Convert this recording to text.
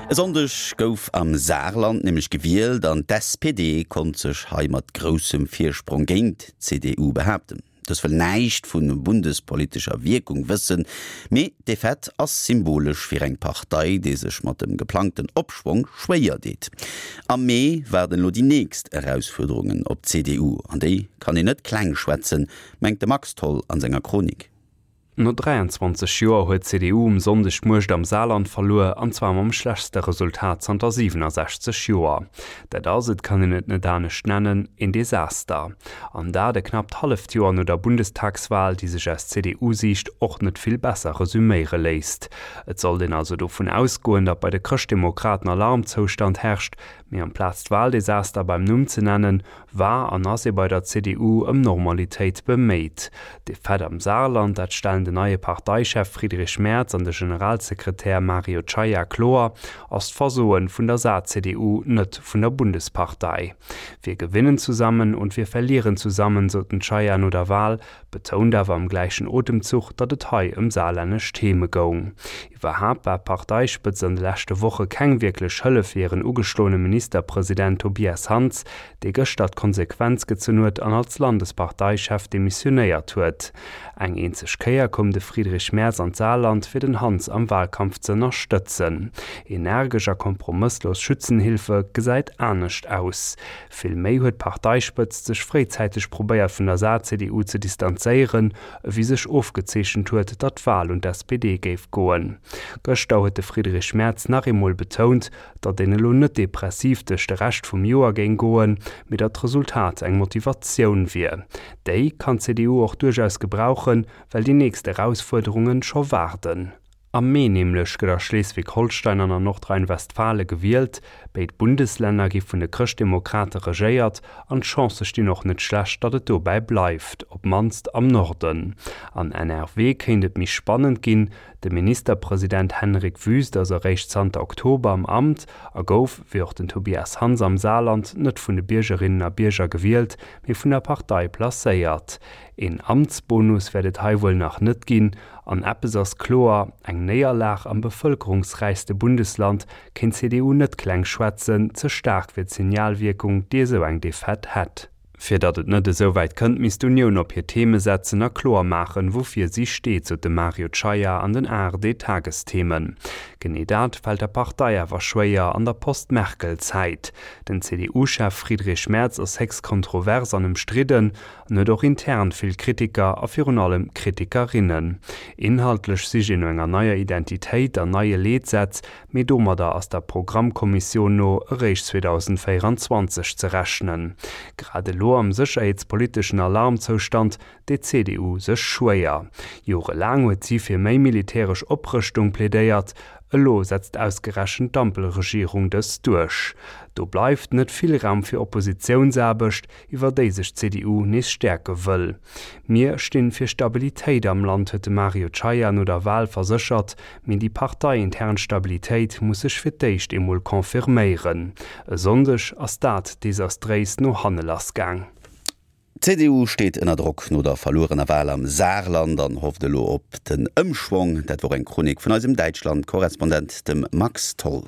E Sonndeg gouf am Saarland nämlech gewielt an d'SPD konnt sech hei mat groussem Virsprong géint d'CDU behaapten. Dës wëll näischt vu bundespolitescher Wierkung wëssen, mee d'Defaite ass symbolesch fir eng Partei, déi sech mat dem geplangten Opschwong schwéier deet. Am Mee waarden elo déi nächst Erausfuerderungen op d'CDU, an déi kann een net kleng schwätzen, mengt de Max Tholl an senger Chronik. No 23 Joer huet d'CDU um Sonndeg d'Muecht am Saarland verluer, an zwar mam schlechtste Resultat zanter 67 Joer. Dat ass, et kann een et net anescht nennen, een Desaster. An dat e knappt halleft Joer no der Bundestagswal, déi sech aus CDU-Siicht och net vill besser resuméiere léisst. Et sollt een also dovun ausgoen, datt bei de Chrëschtdemokraten Alarmzoustand herrscht, mee amplaz d'Waldesaster beim Numm ze nennen, war an ass ee bei der CDU ëm Normalitéit beméit. D'Defaite am Saarland, dat stellen den neie Parteichef Friedrich Merz an de Generalsekretär Mario Czaja kloer, ass d'Versoen vun der Saar-CDU, net vun der Bundespartei. Wir gewinnen zusammen und wir verlieren zusammen, sot den Czaja no der Wahl, betount awer am gläichen Otemzuch, datt et hei ëm saarlännesch Theme goung. Iwwerhaapt war d'Parteispëtzt an de leschte Woche keng wierklech Hëllef fir hiren ugeschloene Ministerpresident Tobias Hans, dee gëschter d'Konsequenz gezunn huet an als Landesparteichef demissionéiert huet. Eng eenzeg Kéier koum de Friedrich Merz an d'Saarland, fir den Hans am Wahlkampf ze ënnerstëtzen. Energesch a kompromësslos Schützenhilfe gesäit anescht aus. Vill méi huet d'Parteispëtzt sech fréizäiteg probéiert vun der Saar-CDU ze distanzéieren, ewéi sech ofgezeechent huet, datt d'Wal un d'SPD géif goen. Gëschter huet de Friedrich Merz nach eemol betount, datt een elo net depressiv duerch de Rescht vum Joer géing goen, mee datt d'Resultat eng Motivatioun wier. Déi kann d'CDU och duerchaus gebrauchen, well déi nächst Erausfuerderungen scho waarden. Am Mee nämlech gëtt a Schleswig-Holstein an an Nordrhein-Westfale gewielt. Béid Bundeslänner gi vun de Chrëschtdemokrate regéiert an d'Chancë stinn och net schlecht, datt et dobäi bleift, op d'mannst am Norden. An NRW kéint et méi spannend ginn. De Ministerpresident Henrik Wüst ass eréischt zanter Oktober am Amt a gouf, wéi och den Tobias Hans am Saarland, net vun de Biergerinnen a Bierger gewielt, mee vun der Partei placéiert. Een Amtsbonus wäert et hei wuel nach net ginn. An eppes ass kloer, Eng Néierlag am bevëlkerungsräichste Bundesland kéint d'CDU net kleng schwätzen, ze staark wier d'Signalwierkung, déi esou eng Defaite hätt. Fir datt et net esou wäit kënnt, misst d'Unioun op hir Theme setzen a kloer maachen, woufir si steet, sot de Mario Czaja an den ARD-Tagesthemen. Genee dat fält der Partei awer schwéier an der Post-Merkel-Zäit. Den CDU-Chef Friedrich Merz ass héchst kontrovers an ëmstridden En huet och intern vill Kritiker a virun allem Kritikerinnen. Inhaltlech sicht een no enger neier Identitéit an neie Leetsätz, mee domadder ass der Programmkommissioun no eréischt 2024 ze rechnen. Grad elo am sécherheetspoliteschen Alarmzoustand deet d'CDU sech schwéier. Jorelaang huet si fir méi militäresch Oprëschtung plädéiert, elo setzt ausgerechent d'Ampelregierung dës duerch. Do bleift net vill Raum fir Oppositiounsaarbecht, iwwer déi sech d'CDU nees stäerke wëll. Mir stinn fir Stabilitéit am Land, huet de Mario Czaja no der Wal verséchert, mee déi parteiintern Stabilitéit muss sech fir d'éischt eemol confirméieren. E Sonndeg ass dat desastréis no hanne lass gaang. D'CDU steet ënner Drock no der verluerener Wal am Saarland an hofft elo op den Ëmschwong. Dat wor eng Chronik vun eisem Däitschland-Korrespondent, dem Max Tholl.